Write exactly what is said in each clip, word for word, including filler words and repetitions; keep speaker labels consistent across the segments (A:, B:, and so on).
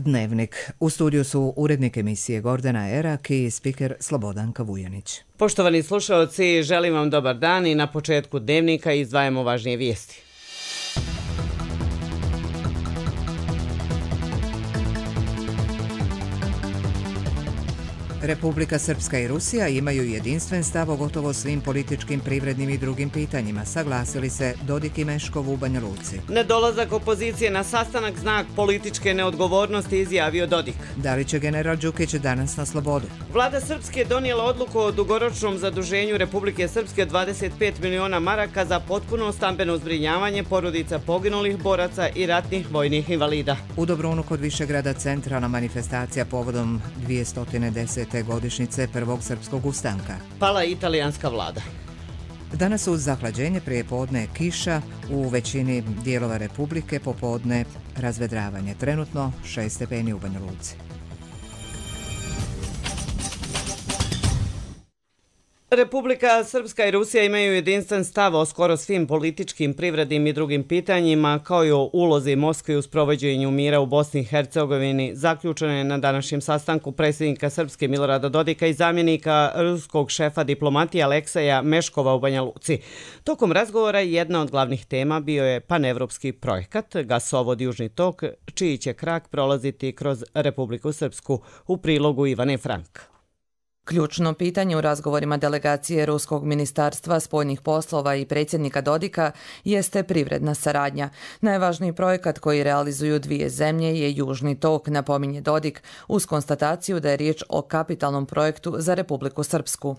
A: Dnevnik. U studiju su urednik emisije Gordana Erak i spiker Slobodanka Vujanić.
B: Poštovani slušalci, želim vam dobar dan i na početku Dnevnika izdvajamo važnije vijesti.
A: Republika Srpska i Rusija imaju jedinstven stav o gotovo svim političkim, privrednim i drugim pitanjima, saglasili se Dodik i Meškov u Banja Luci.
B: Nedolazak opozicije na sastanak znak političke neodgovornosti, izjavio Dodik.
A: Da li će general Đukić danas na slobodu?
B: Vlada Srpske donijela odluku o dugoročnom zaduženju Republike Srpske dvadeset pet miliona maraka za potpuno stambeno zbrinjavanje porodica poginulih boraca i ratnih vojnih invalida.
A: U Dobrunu kod Višegrada centralna manifestacija povodom dvjesto desete godišnjice prvog srpskog ustanka.
B: Pala italijanska vlada.
A: Danas uz zahlađenje prijepodne kiša, u većini dijelova Republike popodne razvedravanje. Trenutno šest stepeni u Banja Luci.
B: Republika Srpska i Rusija imaju jedinstven stav o skoro svim političkim, privrednim i drugim pitanjima, kao i o ulozi Moskve u sprovođenju mira u Bosni i Hercegovini. Zaključeno je na današnjem sastanku predsjednika Srpske Milorada Dodika i zamjenika ruskog šefa diplomatije Alekseja Meškova u Banja Luci. Tokom razgovora jedna od glavnih tema bio je panevropski projekat gasovod Južni tok, čiji će krak prolaziti kroz Republiku Srpsku, u prilogu Ivane Frank.
C: Ključno pitanje u razgovorima delegacije Ruskog ministarstva spoljnih poslova i predsjednika Dodika jeste privredna saradnja. Najvažniji projekat koji realizuju dvije zemlje je Južni tok, napominje Dodik, uz konstataciju da je riječ o kapitalnom projektu za Republiku Srpsku.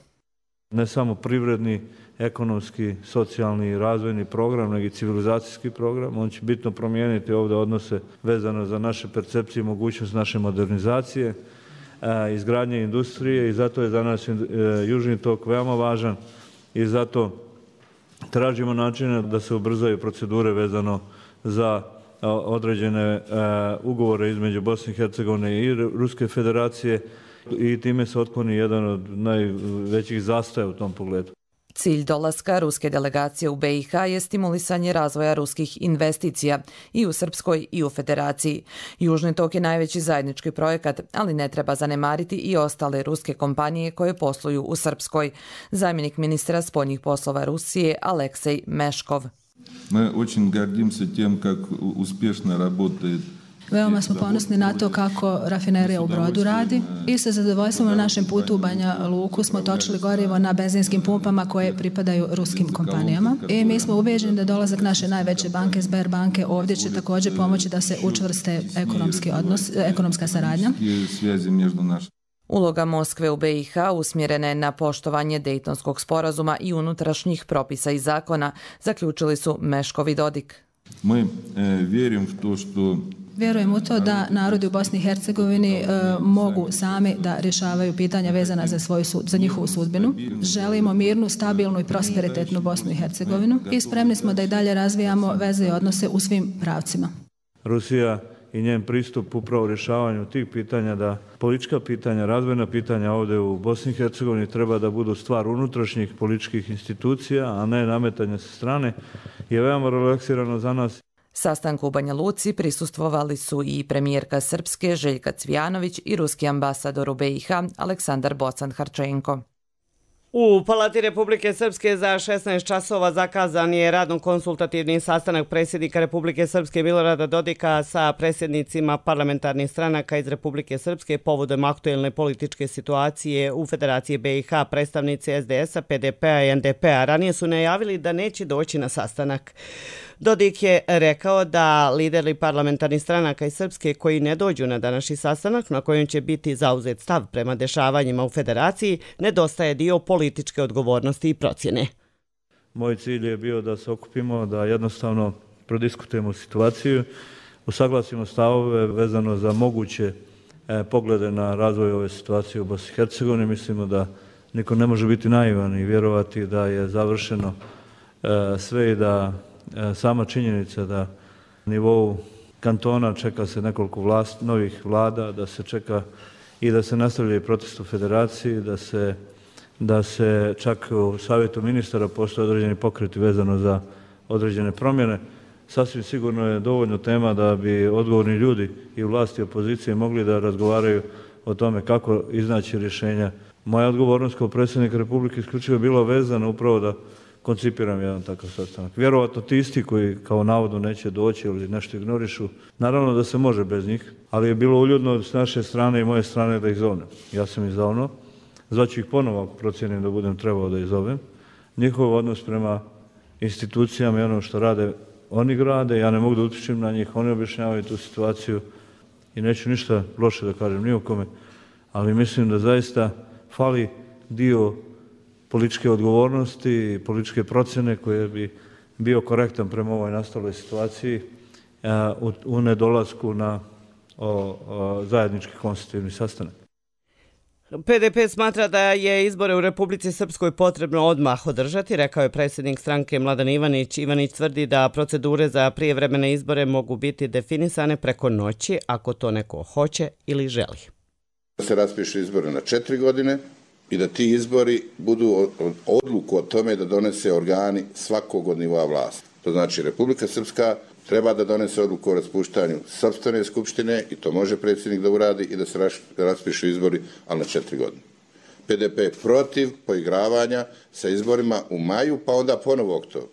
D: Ne samo privredni, ekonomski, socijalni i razvojni program, nego i civilizacijski program. On će bitno promijeniti ovdje odnose vezano za naše percepcije i mogućnost naše modernizacije, izgradnje industrije, i zato je za nas Južni tok veoma važan i zato tražimo načine da se ubrzaju procedure vezano za određene ugovore između Bosne i Hercegovine i Ruske federacije i time se otkloni jedan od najvećih zastoja u tom pogledu.
C: Cilj dolaska ruske delegacije u B i H je stimulisanje razvoja ruskih investicija i u Srpskoj i u Federaciji. Južni tok je najveći zajednički projekat, ali ne treba zanemariti i ostale ruske kompanije koje posluju u Srpskoj. Zamjenik ministra spoljnih poslova Rusije Aleksej Meškov.
E: Mi очень гордимся тем, как успешно работает.
F: Veoma smo ponosni na to kako rafinerija u Brodu radi i sa zadovoljstvom na našem putu u Banja Luku smo točili gorivo na benzinskim pumpama koje pripadaju ruskim kompanijama. I mi smo ubeđeni da dolazak naše najveće banke, Sberbanke, ovdje će također pomoći da se učvrste ekonomski odnos, ekonomska saradnja.
C: Uloga Moskve u B i H usmjerena je na poštovanje Dejtonskog sporazuma i unutrašnjih propisa i zakona, zaključili su Meškov i Dodik.
E: Mi vjerujem u to što
F: Vjerujem u to da narodi u Bosni i Hercegovini e, mogu sami da rješavaju pitanja vezana za, svoju, za njihovu sudbinu. Želimo mirnu, stabilnu i prosperitetnu Bosnu i Hercegovinu i spremni smo da i dalje razvijamo veze i odnose u svim pravcima.
D: Rusija i njen pristup upravo rješavanju tih pitanja, da politička pitanja, razvojna pitanja ovdje u Bosni i Hercegovini treba da budu stvar unutrašnjih političkih institucija, a ne nametanja sa strane, je veoma relaksirano za nas.
C: Sastanku u Banja Luci prisustvovali su i premijerka Srpske Željka Cvijanović i ruski ambasador u B i H Aleksandar Bocan-Harčenko.
B: U Palati Republike Srpske za šesnaest časova zakazan je radno-konsultativni sastanak predsjednika Republike Srpske Milorada Dodika sa predsjednicima parlamentarnih stranaka iz Republike Srpske povodom aktuelne političke situacije u Federaciji B i H. Predstavnici S D S-a, P D P-a i N D P-a ranije su najavili da neće doći na sastanak. Dodik je rekao da lideri parlamentarnih stranaka iz Srpske koji ne dođu na današnji sastanak na kojem će biti zauzet stav prema dešavanjima u Federaciji, nedostaje dio političke odgovornosti i procjene.
D: Moj cilj je bio da se okupimo, da jednostavno prodiskutujemo situaciju, usaglasimo stavove vezano za moguće e, poglede na razvoj ove situacije u Bosni i Hercegovini. Mislimo da niko ne može biti naivan i vjerovati da je završeno e, sve i da e, sama činjenica da na nivou kantona čeka se nekoliko vlast, novih vlada, da se čeka i da se nastavlja i protest u Federaciji, da se, da se čak u savjetu ministara postoje određeni pokreti vezano za određene promjene. sasvim sigurno je dovoljno tema da bi odgovorni ljudi i vlasti i opozicije mogli da razgovaraju o tome kako iznaći rješenja. Moja odgovornost kao predsjednik Republike isključivo je bila vezana upravo da koncipiram jedan takav sastanak. Vjerovatno ti isti koji kao navodno neće doći ili nešto ignorišu, naravno da se može bez njih, ali je bilo uljudno s naše strane i moje strane da ih zovnem. Ja sam ih zovno, zvaću ih ponovo ako procijenim da budem trebao da ih zovem. Njihov odnos prema institucijama i ono što rade, oni grade, ja ne mogu da utječem na njih, oni objašnjavaju tu situaciju i neću ništa loše da kažem ni o kome, ali mislim da zaista fali dio političke odgovornosti i političke procjene koje bi bio korektan prema ovoj nastaloj situaciji u, u nedolasku na o, o, zajednički konstitutivni sastanak.
B: P D P smatra da je izbore u Republici Srpskoj potrebno odmah održati, rekao je predsjednik stranke Mladen Ivanić. Ivanić tvrdi da procedure za prijevremene izbore mogu biti definisane preko noći ako to neko hoće ili želi.
G: Da se raspišu izbore na četiri godine i da ti izbori budu odluku o tome da donese organi svakog od nivoa vlasti. To znači Republika Srpska treba da donese odluku o raspuštanju sopstvene skupštine i to može predsjednik da uradi i da se raspišu izbori, ali na četiri godine. P D P je protiv poigravanja sa izborima u maju, pa onda ponovo oktobru.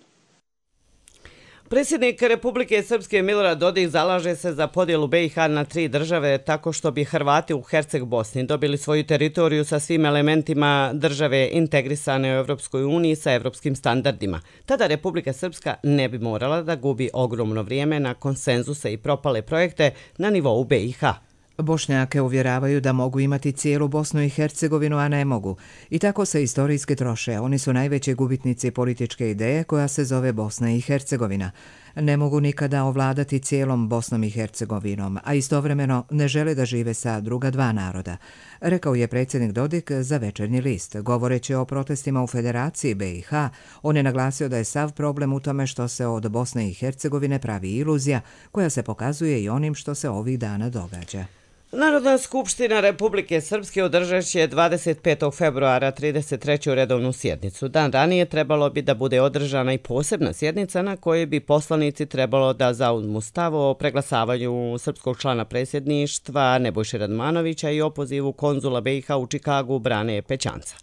B: Predsjednik Republike Srpske Milorad Dodik zalaže se za podjelu B i H na tri države tako što bi Hrvati u Herceg Bosni dobili svoju teritoriju sa svim elementima države integrisane u Evropskoj uniji sa evropskim standardima. Tada Republika Srpska ne bi morala da gubi ogromno vrijeme na konsenzuse i propale projekte na nivou B i H.
A: Bošnjake uvjeravaju da mogu imati cijelu Bosnu i Hercegovinu, a ne mogu. I tako se istorijski troše. Oni su najveći gubitnici političke ideje koja se zove Bosna i Hercegovina. Ne mogu nikada ovladati cijelom Bosnom i Hercegovinom, a istovremeno ne žele da žive sa druga dva naroda, rekao je predsjednik Dodik za Večernji list. Govoreći o protestima u Federaciji B i H, on je naglasio da je sav problem u tome što se od Bosne i Hercegovine pravi iluzija koja se pokazuje i onim što se ovih dana događa.
B: Narodna skupština Republike Srpske održat će dvadeset petog februara trideset treću redovnu sjednicu. Dan ranije trebalo bi da bude održana i posebna sjednica na kojoj bi poslanici trebalo da zauzmu stav o preglasavanju srpskog člana predsjedništva Nebojše Radmanovića i opozivu konzula B i H u Čikagu Brane Pećanca.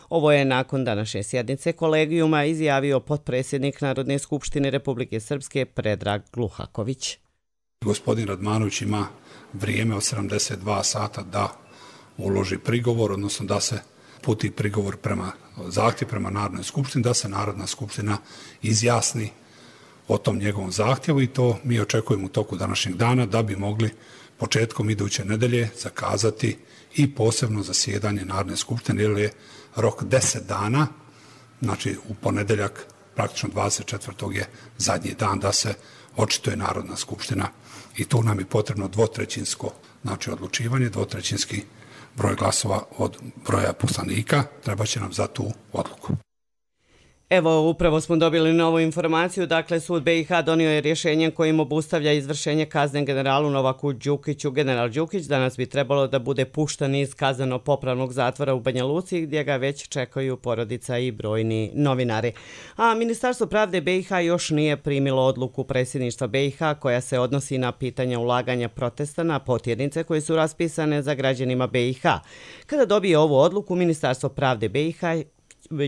B: Ovo je nakon današnje sjednice kolegijuma izjavio potpredsjednik Narodne skupštine Republike Srpske Predrag Gluhaković.
H: Gospodin Radmanović ima vrijeme od sedamdeset dva sata da uloži prigovor, odnosno da se puti prigovor prema zahtjev prema Narodnoj skupštini, da se Narodna skupština izjasni o tom njegovom zahtjevu i to mi očekujemo u toku današnjeg dana da bi mogli početkom iduće nedelje zakazati i posebno zasjedanje Narodne skupštine, jer je rok deset dana, znači u ponedeljak praktično dvadeset četvrtog je zadnji dan da se očituje Narodna skupština i tu nam je potrebno dvotrećinsko, znači odlučivanje, dvotrećinski broj glasova od broja poslanika, treba će nam za tu odluku.
B: Evo, upravo smo dobili novu informaciju. Dakle, sud B i H donio je rješenje kojim obustavlja izvršenje kazne generalu Novaku Đukiću. General Đukić danas bi trebalo da bude pušten iz kazneno-popravnog zatvora u Banja Luci, gdje ga već čekaju porodica i brojni novinari. A Ministarstvo pravde B i H još nije primilo odluku predsjedništva B i H koja se odnosi na pitanja ulaganja protesta na potjernice koje su raspisane za građanima B i H. Kada dobije ovu odluku, Ministarstvo pravde B i H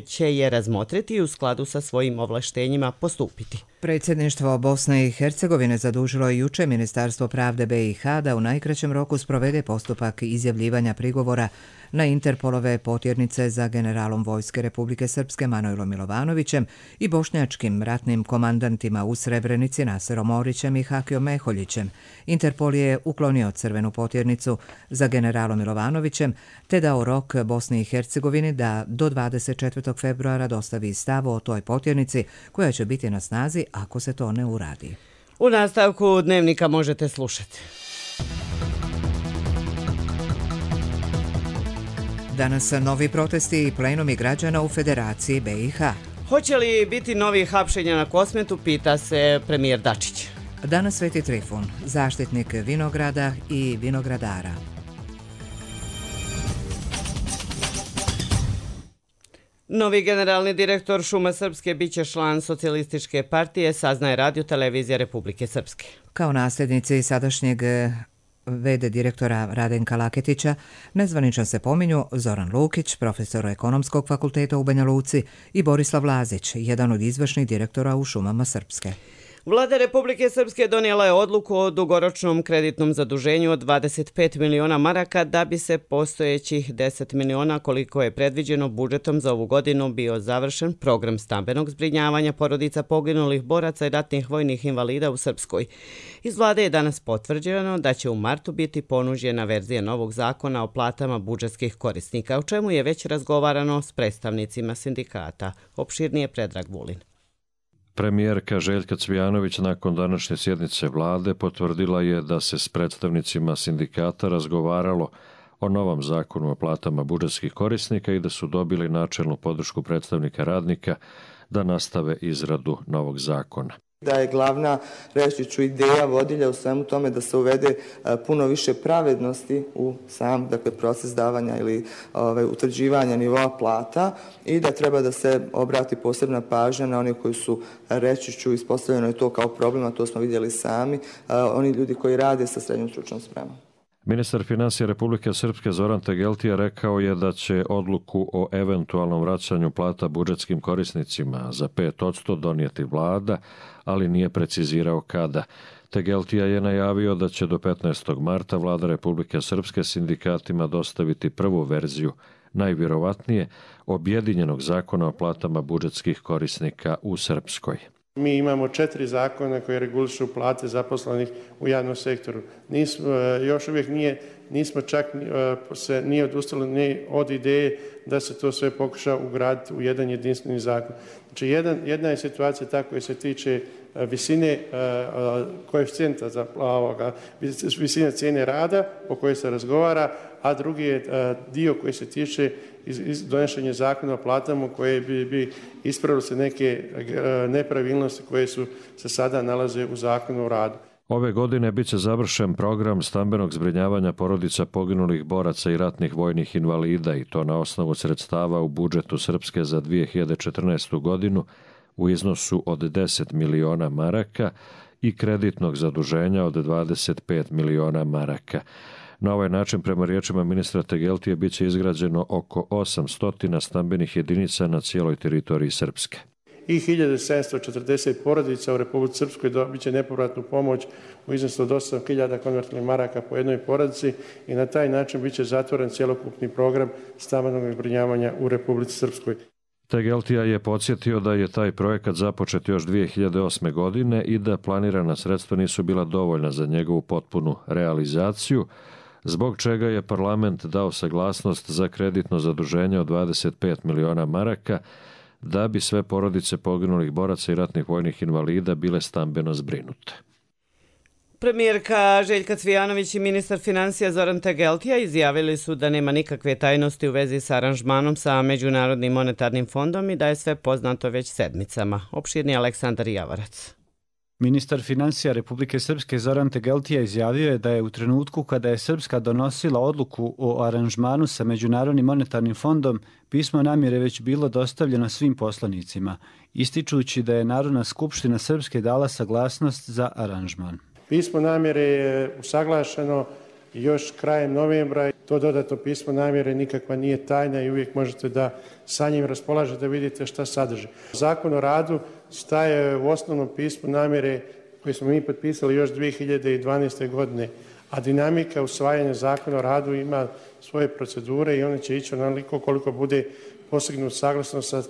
B: će je razmotriti i u skladu sa svojim ovlaštenjima postupiti.
A: Predsjedništvo Bosne i Hercegovine zadužilo je juče Ministarstvo pravde B i H da u najkraćem roku sprovede postupak izjavljivanja prigovora na Interpolove potjernice za generalom Vojske Republike Srpske Manojlom Milovanovićem i bošnjačkim ratnim komandantima u Srebrenici Naserom Orićem i Hakijom Meholjićem. Interpol je uklonio crvenu potjernicu za generalom Milovanovićem te dao rok Bosni i Hercegovini da do dvadeset četvrtog februara dostavi stav o toj potjernici koja će biti na snazi ako se to ne uradi.
B: U nastavku dnevnika možete slušati.
A: Danas novi protesti i plenumi građana u Federaciji B i H.
B: Hoće li biti novi hapšenja na Kosmetu, pita se premijer Dačić.
A: Danas Sveti Trifun, zaštitnik vinograda i vinogradara.
B: Novi generalni direktor Šuma Srpske biće član Socijalističke partije, saznaje Radio televizija Republike Srpske.
A: Kao nasljednici sadašnjeg ve de direktora Radenka Laketića nezvanično se pominju Zoran Lukić, profesor Ekonomskog fakulteta u Banja Luci, i Borislav Lazić, jedan od izvršnih direktora u Šumama Srpske.
B: Vlada Republike Srpske donijela je odluku o dugoročnom kreditnom zaduženju od dvadeset pet miliona maraka da bi se postojećih deset miliona koliko je predviđeno budžetom za ovu godinu bio završen program stambenog zbrinjavanja porodica poginulih boraca i ratnih vojnih invalida u Srpskoj. Iz vlade je danas potvrđeno da će u martu biti ponuđena verzija novog zakona o platama budžetskih korisnika, o čemu je već razgovarano s predstavnicima sindikata. Opširnije Predrag Vulin.
I: Premijerka Željka Cvijanović nakon današnje sjednice vlade potvrdila je da se s predstavnicima sindikata razgovaralo o novom zakonu o platama budžetskih korisnika i da su dobili načelnu podršku predstavnika radnika da nastave izradu novog zakona.
J: Da je glavna, reći ću, ideja vodilja u svemu tome da se uvede puno više pravednosti u sam, dakle, proces davanja ili ove, utvrđivanja nivoa plata i da treba da se obrati posebna pažnja na oni koji su, reći ću, ispostavljeno je to kao problem, a to smo vidjeli sami, oni ljudi koji rade sa srednjom stručnom spremom.
I: Ministar financija Republike Srpske Zoran Tegeltija rekao je da će odluku o eventualnom vraćanju plata budžetskim korisnicima za pet posto donijeti vlada, ali nije precizirao kada. Tegeltija je najavio da će do petnaestog marta vlada Republike Srpske sindikatima dostaviti prvu verziju, najvjerovatnije, objedinjenog zakona o platama budžetskih korisnika u Srpskoj.
K: Mi imamo četiri zakona koje regulišu plate zaposlenih u javnom sektoru. Nismo, još uvijek nije, nismo čak se nije odustali ni od ideje da se to sve pokuša ugraditi u jedan jedinstveni zakon. Znači, jedan, jedna je situacija ta koja se tiče visine koeficijenta za ovoga, visine cijene rada o kojoj se razgovara, a drugi je dio koji se tiče iz, iz donošenja zakona o platama koje bi, bi ispravili se neke nepravilnosti koje su se sada nalaze u zakonu o radu.
I: Ove godine bit će završen program stambenog zbrinjavanja porodica poginulih boraca i ratnih vojnih invalida i to na osnovu sredstava u budžetu Srpske za dvije hiljade četrnaestu. godinu u iznosu od deset miliona maraka i kreditnog zaduženja od dvadeset pet miliona maraka. Na ovaj način, prema riječima ministra Tegeltije, bit će izgrađeno oko osamsto stambenih jedinica na cijeloj teritoriji Srpske.
K: I hiljadu sedamsto četrdeset porodica u Republici Srpskoj dobit će nepovratnu pomoć u iznosu od osam hiljada konvertibilnih maraka po jednoj porodici i na taj način bit će zatvoren cjelokupni program stambenog zbrinjavanja u Republici Srpskoj.
I: Tegeltija je podsjetio da je taj projekat započet još dvije hiljade osme. godine i da planirana sredstva nisu bila dovoljna za njegovu potpunu realizaciju, zbog čega je parlament dao saglasnost za kreditno zaduženje od dvadeset pet miliona maraka da bi sve porodice poginulih boraca i ratnih vojnih invalida bile stambeno zbrinute.
B: Premijerka Željka Cvijanović i ministar financija Zoran Tegeltija izjavili su da nema nikakve tajnosti u vezi sa aranžmanom sa Međunarodnim monetarnim fondom i da je sve poznato već sedmicama. Opširni Aleksandar Javarac.
L: Ministar financija Republike Srpske Zoran Tegeltija izjavio je da je u trenutku kada je Srpska donosila odluku o aranžmanu sa Međunarodnim monetarnim fondom, pismo namjere već bilo dostavljeno svim poslanicima, ističući da je Narodna skupština Srpske dala saglasnost za aranžman.
K: Pismo namjere je usaglašeno još krajem novembra. To dodatno pismo namjere nikakva nije tajna i uvijek možete da sa njim raspolažete da vidite šta sadrži. Zakon o radu staje u osnovnom pismu namjere koje smo mi potpisali još dvije hiljade dvanaeste. godine, a dinamika usvajanja zakona o radu ima svoje procedure i one će ići onoliko koliko bude postignut saglasno sa,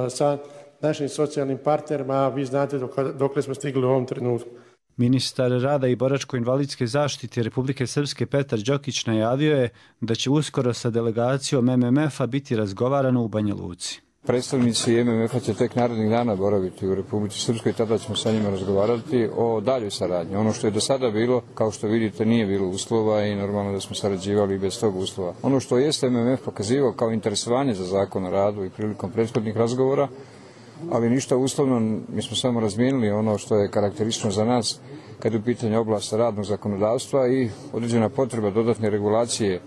K: sa našim socijalnim partnerima, a vi znate dok, dokle smo stigli u ovom trenutku.
L: Ministar rada i boračko-invalidske zaštite Republike Srpske Petar Đokić najavio je da će uskoro sa delegacijom M M F-a biti razgovarano u Banja Luci.
M: Predstavnici M M F-a će tek narednih dana boraviti u Republici Srpskoj i tada ćemo sa njima razgovarati o daljoj saradnji. Ono što je do sada bilo, kao što vidite, nije bilo uslova i normalno da smo sarađivali bez tog uslova. Ono što jeste M M F pokazivao kao interesovanje za zakon o radu i prilikom prethodnih razgovora, ali ništa uslovno, mi smo samo razmijenili ono što je karakteristično za nas kad je u pitanju oblast radnog zakonodavstva i određena potreba dodatne regulacije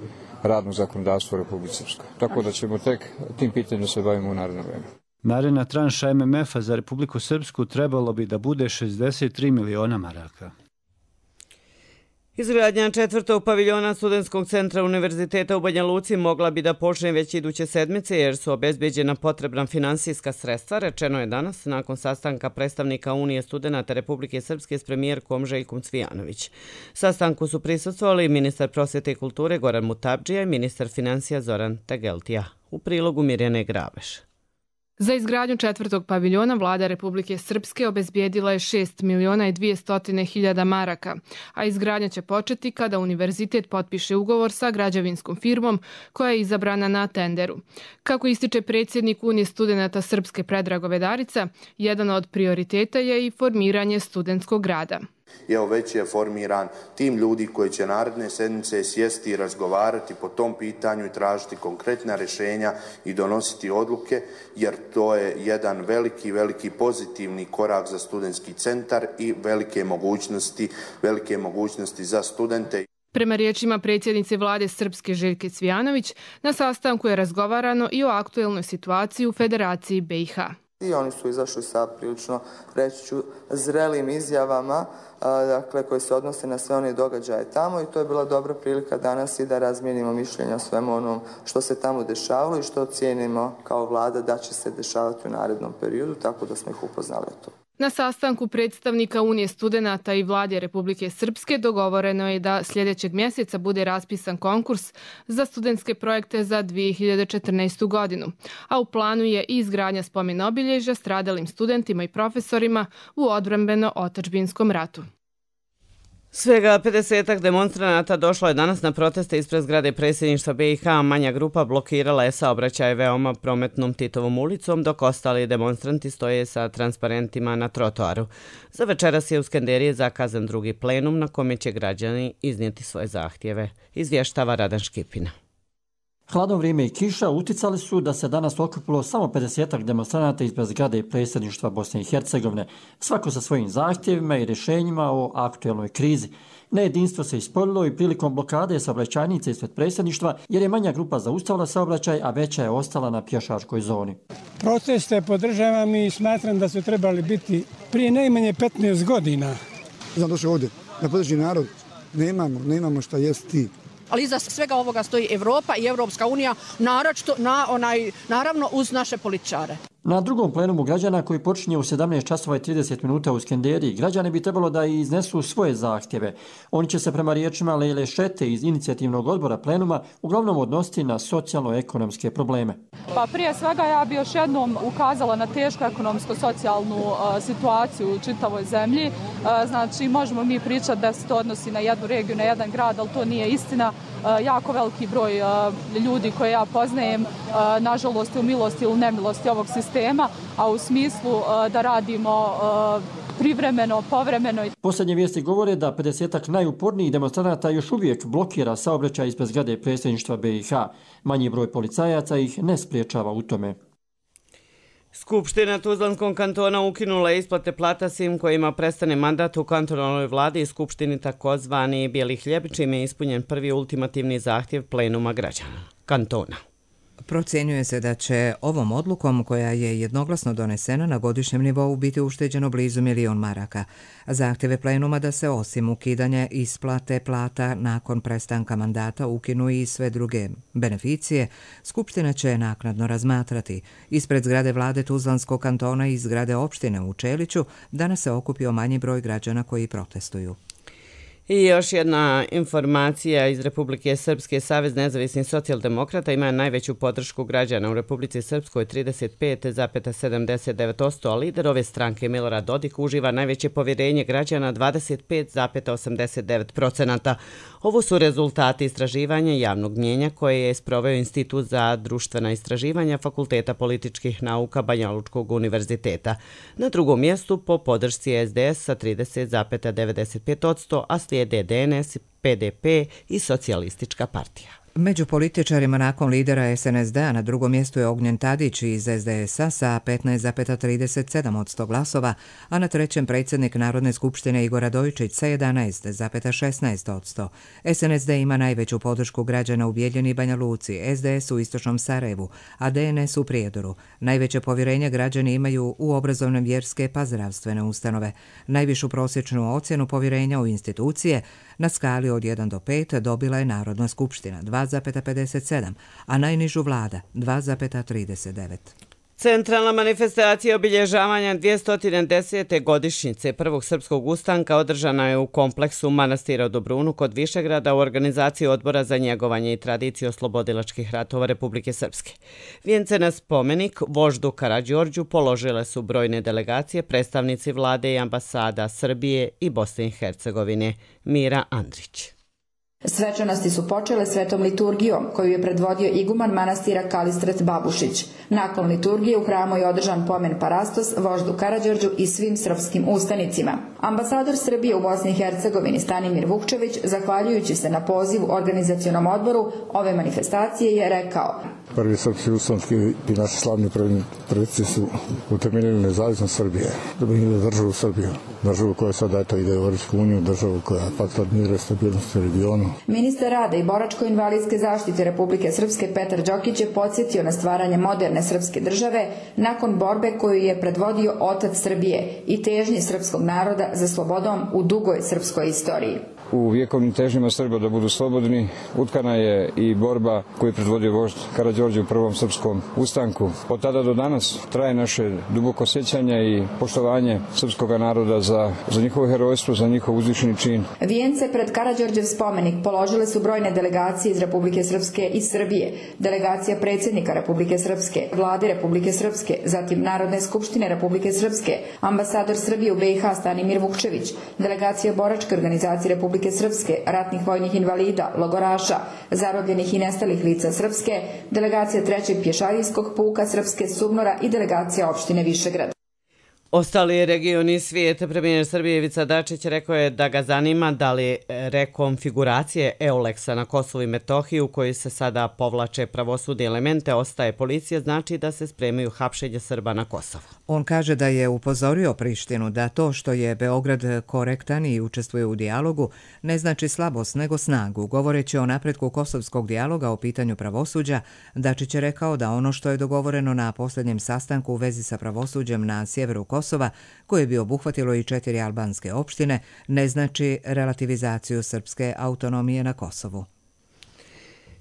M: radnog zakonodavstva u Republici Srpskoj. Tako da ćemo tek tim pitanjem se bavimo u naredno vreme.
L: Naredna tranša M M F-a za Republiku Srpsku trebalo bi da bude šezdeset tri miliona maraka.
B: Izgradnja četvrtog paviljona Studentskog centra Univerziteta u Banja Luci mogla bi da počne već iduće sedmice jer su obezbeđena potrebna finansijska sredstva, rečeno je danas nakon sastanka predstavnika Unije studenata Republike Srpske s premijerkom Željkom Cvijanović. Sastanku su prisustvovali ministar prosvete i kulture Goran Mutabdžija i ministar financija Zoran Tegeltija. U prilogu Mirjane Graveš.
N: Za izgradnju četvrtog paviljona vlada Republike Srpske obezbijedila je šest miliona i dvjesto hiljada maraka, a izgradnja će početi kada univerzitet potpiše ugovor sa građevinskom firmom koja je izabrana na tenderu. Kako ističe predsjednik Unije studenata Srpske Predrago Vedarica, jedan od prioriteta je i formiranje studentskog grada.
O: I evo već je formiran tim ljudi koji će naredne sedmice sjesti i razgovarati po tom pitanju i tražiti konkretna rješenja i donositi odluke, jer to je jedan veliki, veliki pozitivni korak za studentski centar i velike mogućnosti, velike mogućnosti za studente.
N: Prema riječima predsjednice vlade Srpske Željke Cvijanović, na sastanku je razgovarano i o aktuelnoj situaciji u Federaciji B i H.
J: I oni su izašli sa prilično, reći ću, zrelim izjavama dakle, koje se odnose na sve one događaje tamo i to je bila dobra prilika danas i da razmijenimo mišljenja o svemu onom što se tamo dešavalo i što cijenimo kao vlada da će se dešavati u narednom periodu, tako da smo ih upoznali o to.
N: Na sastanku predstavnika Unije studenata i vlade Republike Srpske dogovoreno je da sljedećeg mjeseca bude raspisan konkurs za studentske projekte za dvije hiljade četrnaestu. godinu, a u planu je i izgradnja spomen obilježja stradalim studentima i profesorima u odbrambeno-otadžbinskom ratu.
B: Svega pedesetak demonstranata došlo je danas na proteste ispred zgrade predsjedništva B i H, a manja grupa blokirala je saobraćaj veoma prometnom Titovom ulicom, dok ostali demonstranti stoje sa transparentima na trotoaru. Za večeras je u Skenderiji zakazan drugi plenum na kome će građani iznijeti svoje zahtjeve, izvještava Radan Škipina.
P: Hladno vrijeme i kiša uticali su da se danas okupilo samo pedesetak demonstranata ispred zgrade predsjedništva Bosne i Hercegovine, svako sa svojim zahtjevima i rješenjima o aktuelnoj krizi. Nejedinstvo se ispoljilo i prilikom blokade saobraćajnice ispred predsjedništva jer je manja grupa zaustavila saobraćaj, a veća je ostala na pješačkoj zoni.
Q: Proteste podržavam i smatram da su trebali biti prije najmanje petnaest godina.
R: Znam došao ovdje da podrži narod, nemamo, nemamo šta jesti.
S: Ali iza svega ovoga stoji Evropa i Evropska unija, naročito na onaj, naravno uz naše političare.
P: Na drugom plenumu građana koji počinje u sedamnaest časova i trideset minuta u Skenderiji, građani bi trebalo da iznesu svoje zahtjeve. Oni će se prema riječima Lejle Šete iz inicijativnog odbora plenuma uglavnom odnositi na socijalno-ekonomske probleme.
T: Pa prije svega ja bi još jednom ukazala na tešku ekonomsko-socijalnu uh, situaciju u čitavoj zemlji. Uh, znači možemo mi pričati da se to odnosi na jednu regiju, na jedan grad, ali to nije istina. Uh, jako veliki broj uh, ljudi koje ja poznajem, uh, nažalost, u milosti ili nemilosti ovog sistema, a u smislu uh, da radimo uh, privremeno, povremeno.
P: Posljednje vijesti govore da pedesetak najupornijih demonstranata još uvijek blokira saobraćaj ispred zgrade predsjedništva B i H. Manji broj policajaca ih ne spriječava u tome.
B: Skupština Tuzlanskog kantona ukinula je isplate plata svim kojima prestane mandat u kantonalnoj vladi i skupštini takozvani Bijeli hljeb, čime je ispunjen prvi ultimativni zahtjev plenuma građana kantona.
A: Procjenjuje se da će ovom odlukom, koja je jednoglasno donesena na godišnjem nivou, biti ušteđeno blizu milion maraka. Zahtjeve plenuma da se osim ukidanja isplate plata nakon prestanka mandata ukinu i sve druge beneficije, Skupština će naknadno razmatrati. Ispred zgrade vlade Tuzlanskog kantona i zgrade opštine u Čeliću danas se okupio manji broj građana koji protestuju.
B: I još jedna informacija iz Republike Srpske. Savez nezavisnih socijaldemokrata ima najveću podršku građana u Republici Srpskoj trideset pet zarez sedamdeset devet posto, a lider ove stranke Milorad Dodik uživa najveće povjerenje građana dvadeset pet zarez osamdeset devet posto. Ovo su rezultati istraživanja javnog mnjenja koje je sproveo Institut za društvena istraživanja Fakulteta političkih nauka Banja Lučkog univerziteta. Na drugom mjestu po podršci S D S sa trideset zarez devedeset pet posto, a slijede D N S, P D P i Socijalistička partija.
A: Među političarima nakon lidera es en es de-a na drugom mjestu je Ognjen Tadić iz es de es-a sa petnaest zarez trideset sedam posto glasova, a na trećem predsjednik Narodne skupštine Igor Radojičić sa jedanaest zarez šesnaest posto. es en es de ima najveću podršku građana u Bijeljini i Banja Luci, es de es u istočnom Sarajevu, a de en es u Prijedoru. Najveće povjerenje građani imaju u obrazovne, vjerske pa zdravstvene ustanove. Najvišu prosječnu ocjenu povjerenja u institucije na skali od jedan do pet dobila je Narodna skupština dva zarez pedeset sedam, a najnižu vlada dva zarez trideset devet.
B: Centralna manifestacija obilježavanja dvjesto desete godišnjice Prvog srpskog ustanka održana je u kompleksu manastira u Dobrunu kod Višegrada u organizaciji Odbora za njegovanje i tradiciju oslobodilačkih ratova Republike Srpske. Vijence na spomenik voždu Karađorđu položile su brojne delegacije, predstavnici vlade i ambasada Srbije i Bosne i Hercegovine. Mira Andrić.
U: Svečanosti su počele svetom liturgijom koju je predvodio iguman manastira Kalistret Babušić. Nakon liturgije u hramu je održan pomen parastos voždu Karađorđu i svim srpskim ustanicima. Ambasador Srbije u Bosni i Hercegovini Stanimir Vukčević, zahvaljujući se na pozivu organizacionom odboru ove manifestacije, je rekao:
V: Prvi srpski ustanski i naši slavni preci su utemeljili nezavisnost Srbije, državu Srbiju, državu koja sada eto ide u Europsku uniju, državu koja je faktor mira i stabilnosti u regionu.
U: Ministar rada i boračko-invalidske zaštite Republike Srpske Petar Đokić je podsjetio na stvaranje moderne srpske države nakon borbe koju je predvodio otac Srbije i težnje srpskog naroda za slobodom u dugoj srpskoj istoriji.
M: U vjekovnim težnjama Srba da budu slobodni utkana je i borba koju je predvodio vožd Karađorđe u Prvom srpskom ustanku. Od tada do danas traje naše duboko sjećanje i poštovanje srpskog naroda za, za njihovo herojstvo, za njihov uzvišeni čin.
U: Vijence pred Karađorđev spomenik položile su brojne delegacije iz Republike Srpske i Srbije, delegacija predsjednika Republike Srpske, vlade Republike Srpske, zatim Narodne skupštine Republike Srpske, ambasador Srbije u be i ha Stanimir Vukčević, delegacija boračke organizacije Republike Srpske, ratnih vojnih invalida, logoraša, zarobljenih i nestalih lica Srpske, delegacija trećeg pješadijskog puka Srpske Subnora i delegacija opštine Višegrad.
B: Ostali regioni svijeta, premijer Srbije Ivica Dačić rekao je da ga zanima da li rekonfiguracije Euleksa na Kosovu i Metohiji u kojoj se sada povlače pravosudne elemente ostaje policija, znači da se spremaju hapšenje Srba na Kosovu.
A: On kaže da je upozorio Prištinu da to što je Beograd korektan i učestvuje u dijalogu ne znači slabost nego snagu. Govoreći o napretku kosovskog dijaloga o pitanju pravosuđa, Dačić je rekao da ono što je dogovoreno na posljednjem sastanku u vezi sa pravosuđem na sjeveru Kosova, koje bi obuhvatilo i četiri albanske opštine, ne znači relativizaciju srpske autonomije na Kosovu.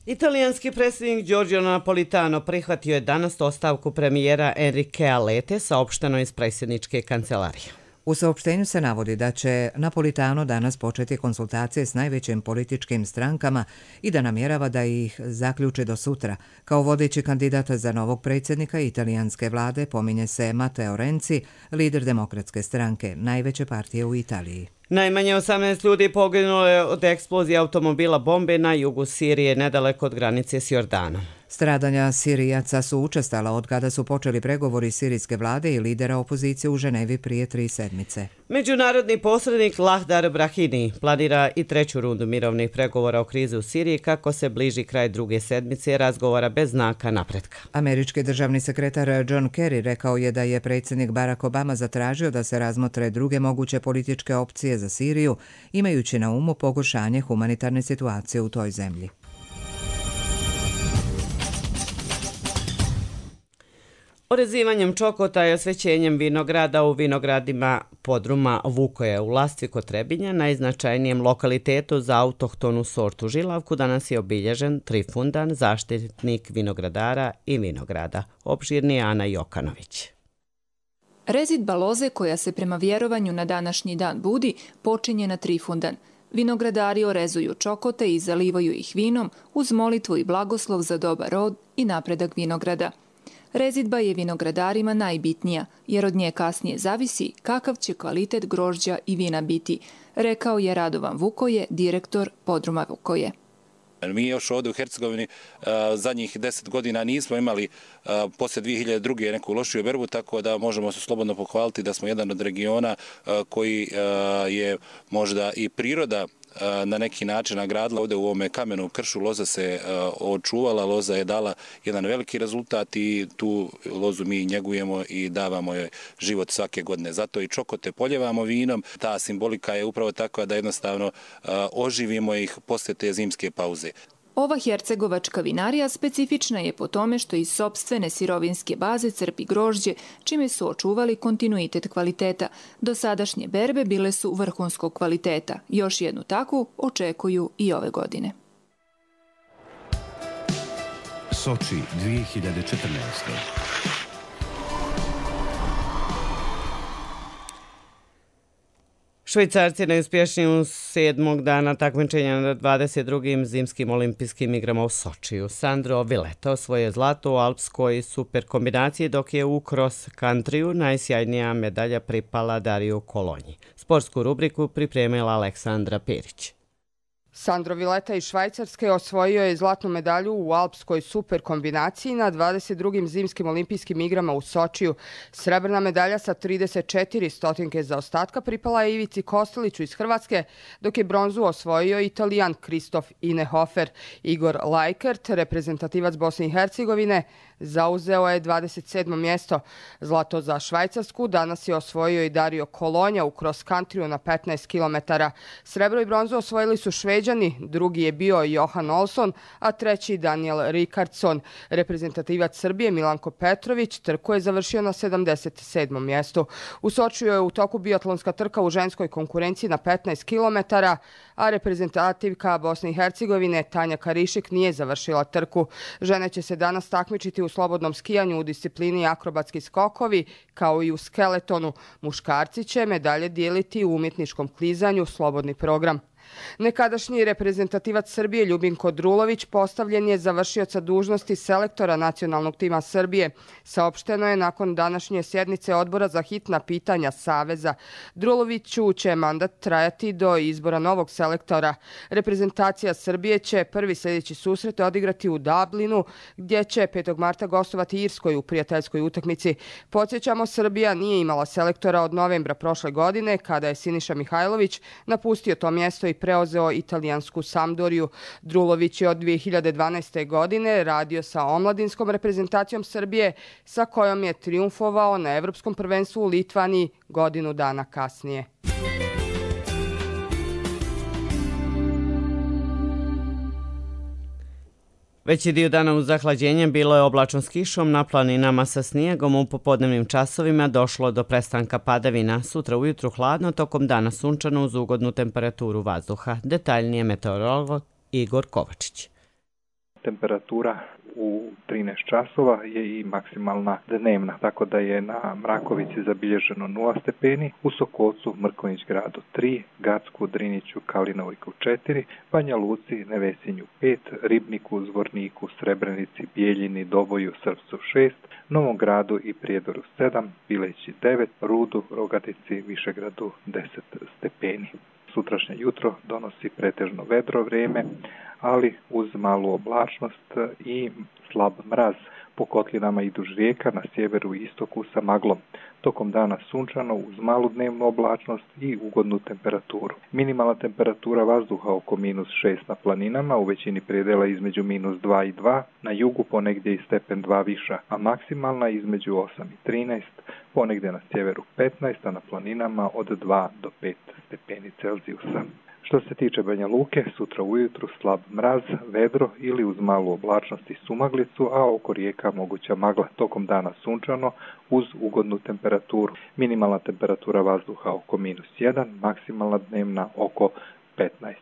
B: Italijanski predsjednik Giorgio Napolitano prihvatio je danas ostavku premijera Enriquea Lete, saopšteno iz predsjedničke kancelarije.
A: U saopštenju se navodi da će Napolitano danas početi konsultacije s najvećim političkim strankama i da namjerava da ih zaključi do sutra. Kao vodeći kandidat za novog predsjednika italijanske vlade pominje se Matteo Renzi, lider demokratske stranke, najveće partije u Italiji.
B: Najmanje osamnaest ljudi poginulo je od eksplozije automobila bombe na jugu Sirije, nedaleko od granice s Jordanom.
A: Stradanja Sirijaca su učestala od kada su počeli pregovori sirijske vlade i lidera opozicije u Ženevi prije tri sedmice.
B: Međunarodni posrednik Lahdar Brahimi planira i treću rundu mirovnih pregovora o krizi u Siriji kako se bliži kraj druge sedmice razgovora bez znaka napretka.
A: Američki državni sekretar John Kerry rekao je da je predsjednik Barack Obama zatražio da se razmotre druge moguće političke opcije za Siriju, imajući na umu pogoršanje humanitarne situacije u toj zemlji.
B: Orezivanjem čokota i osvećenjem vinograda u vinogradima podruma Vukoje u Lastvi kod Trebinja, najznačajnijem lokalitetu za autohtonu sortu žilavku, danas je obilježen Trifundan, zaštitnik vinogradara i vinograda. Opširni je Ana Jokanović.
W: Rezidba loze koja se prema vjerovanju na današnji dan budi počinje na Trifundan. Vinogradari orezuju čokote i zalivaju ih vinom uz molitvu i blagoslov za dobar rod i napredak vinograda. Rezidba je vinogradarima najbitnija, jer od nje kasnije zavisi kakav će kvalitet grožđa i vina biti, rekao je Radovan Vukoje, direktor podruma Vukoje.
X: Mi još ovdje u Hercegovini zadnjih deset godina nismo imali poslije dvije hiljade druge neku lošiju berbu, tako da možemo se slobodno pohvaliti da smo jedan od regiona koji je možda i priroda na neki način nagradila. Ovdje u ovome kamenom kršu loza se očuvala, loza je dala jedan veliki rezultat i tu lozu mi njegujemo i davamo joj život svake godine. Zato i čokote poljevamo vinom. Ta simbolika je upravo takva da jednostavno oživimo ih poslije te zimske pauze.
W: Ova hercegovačka vinarija specifična je po tome što iz sopstvene sirovinske baze crpi grožđe, čime su očuvali kontinuitet kvaliteta. Dosadašnje berbe bile su vrhunskog kvaliteta. Još jednu takvu očekuju i ove godine.
C: Soči dvije hiljade četrnaeste.
B: Švajcarci najuspješniji sedmog dana takmičenja na dvadeset drugim zimskim olimpijskim igrama u Sočiju. Sandro Villeta osvojio zlato u alpskoj super kombinaciji, dok je u cross countryu najsjajnija medalja pripala Dariju Kolonji. Sportsku rubriku pripremila Aleksandra Perić.
D: Sandro Villeta iz Švajcarske osvojio je zlatnu medalju u alpskoj super kombinaciji na dvadeset drugim zimskim olimpijskim igrama u Sočiju. Srebrna medalja sa trideset četiri stotinke zaostatka pripala je Ivici Kosteliću iz Hrvatske, dok je bronzu osvojio Italijan Kristof Inehofer. Igor Lajkert, reprezentativac Bosne i Hercegovine, zauzeo je dvadeset sedmo mjesto. Zlato za Švajcarsku danas je osvojio i Dario Kolonja u cross countryu na petnaest kilometara. Srebro i bronzu osvojili su Šveđani, drugi je bio Johan Olsson, a treći Daniel Ricardson. Reprezentativac Srbije Milanko Petrović trku je završio na sedamdeset sedmom mjestu. U Sočiju je u toku biatlonska trka u ženskoj konkurenciji na petnaest kilometara, a reprezentativka Bosne i Hercegovine Tanja Karišik nije završila trku. Žene će se danas takmičiti u slobodnom skijanju u disciplini akrobatski skokovi, kao i u skeletonu. Muškarci će medalje dijeliti u umjetničkom klizanju, slobodni program. Nekadašnji reprezentativac Srbije Ljubinko Drulović postavljen je za vršioca dužnosti selektora nacionalnog tima Srbije. Saopšteno je nakon današnje sjednice odbora za hitna pitanja Saveza. Druloviću će mandat trajati do izbora novog selektora. Reprezentacija Srbije će prvi sljedeći susret odigrati u Dublinu, gdje će petog marta gostovati Irskoj u prijateljskoj utakmici. Podsjećamo, Srbija nije imala selektora od novembra prošle godine, kada je Siniša Mihajlović napustio to mjesto i preuzeo italijansku Sampdoriju. Drulović je od dvije hiljade dvanaeste. godine radio sa omladinskom reprezentacijom Srbije, sa kojom je trijumfovao na Evropskom prvenstvu u Litvaniji godinu dana kasnije.
B: Veći dio dana uz zahlađenje bilo je oblačno s kišom, na planinama sa snijegom. U popodnevnim časovima došlo do prestanka padavina. Sutra ujutru hladno, tokom dana sunčano uz ugodnu temperaturu vazduha. Detaljnije meteorolog Igor Kovačić.
E: Temperatura u trinaest časova je i maksimalna dnevna, tako da je na Mrakovici zabilježeno nula stepeni, u Sokolcu, Mrkonjić gradu tri, Gacku, Driniću, Kalinovojku četiri, Banja Luci, Nevesinju pet, Ribniku, Zvorniku, Srebrenici, Bijeljini, Doboju, Srpcu šest, Novom gradu i Prijedoru sedam, Bileći devet, Rudu, Rogatici, Višegradu deset stepeni. Sutrašnje jutro donosi pretežno vedro vrijeme, ali uz malu oblačnost i slab mraz. Po kotlinama i duž rijeka na sjeveru i istoku sa maglom. Tokom dana sunčano uz malu dnevnu oblačnost i ugodnu temperaturu. Minimalna temperatura vazduha oko minus šest na planinama, u većini predela između minus dva i dva, na jugu ponegdje i stepen dva viša, a maksimalna između osam i trinaest, ponegdje na sjeveru petnaest, a na planinama od dva do pet stepeni Celzijusa. Što se tiče Banja Luke, sutra ujutru slab mraz, vedro ili uz malu oblačnost i sumaglicu, a oko rijeka moguća magla. Tokom dana sunčano uz ugodnu temperaturu. Minimalna temperatura vazduha oko minus jedan, maksimalna dnevna oko petnaest.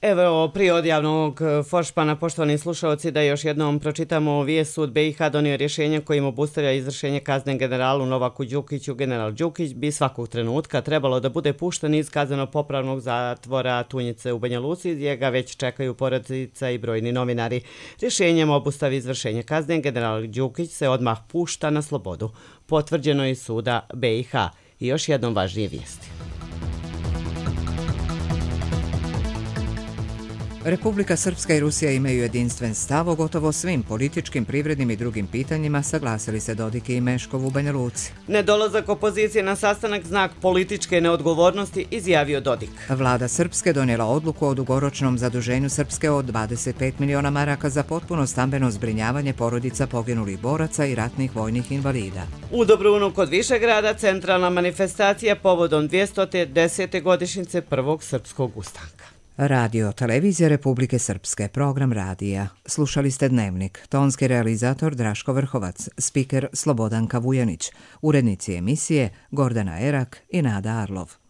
B: Evo prije odjavnog foršpana, poštovani slušalci, da još jednom pročitamo vijest. Sud B i H donio rješenje kojim obustavlja izvršenje kazne generalu Novaku Đukiću. General Đukić bi svakog trenutka trebalo da bude pušten iz kazneno-popravnog zatvora Tunjice u Banja Luci, gdje ga već čekaju porodica i brojni novinari. Rješenjem obustavi izvršenje kazne general Đukić se odmah pušta na slobodu. Potvrđeno je suda B i H. I još jednom važnije vijesti.
A: Republika Srpska i Rusija imaju jedinstven stav o gotovo svim političkim, privrednim i drugim pitanjima, saglasili se Dodik i Meškov u Banja Luci.
B: Nedolazak opozicije na sastanak znak političke neodgovornosti, izjavio Dodik.
A: Vlada Srpske donijela odluku o dugoročnom zaduženju Srpske od dvadeset pet miliona maraka za potpuno stambeno zbrinjavanje porodica poginulih boraca i ratnih vojnih invalida.
B: U Dobrunu kod Višegrada centralna manifestacija povodom dvjesto desete godišnjice prvog srpskog ustanka.
A: Radio Televizija Republike Srpske, program radija. Slušali ste Dnevnik, tonski realizator Draško Vrhovac, spiker Slobodanka Vujanić, urednici emisije Gordana Erak i Nada Arlov.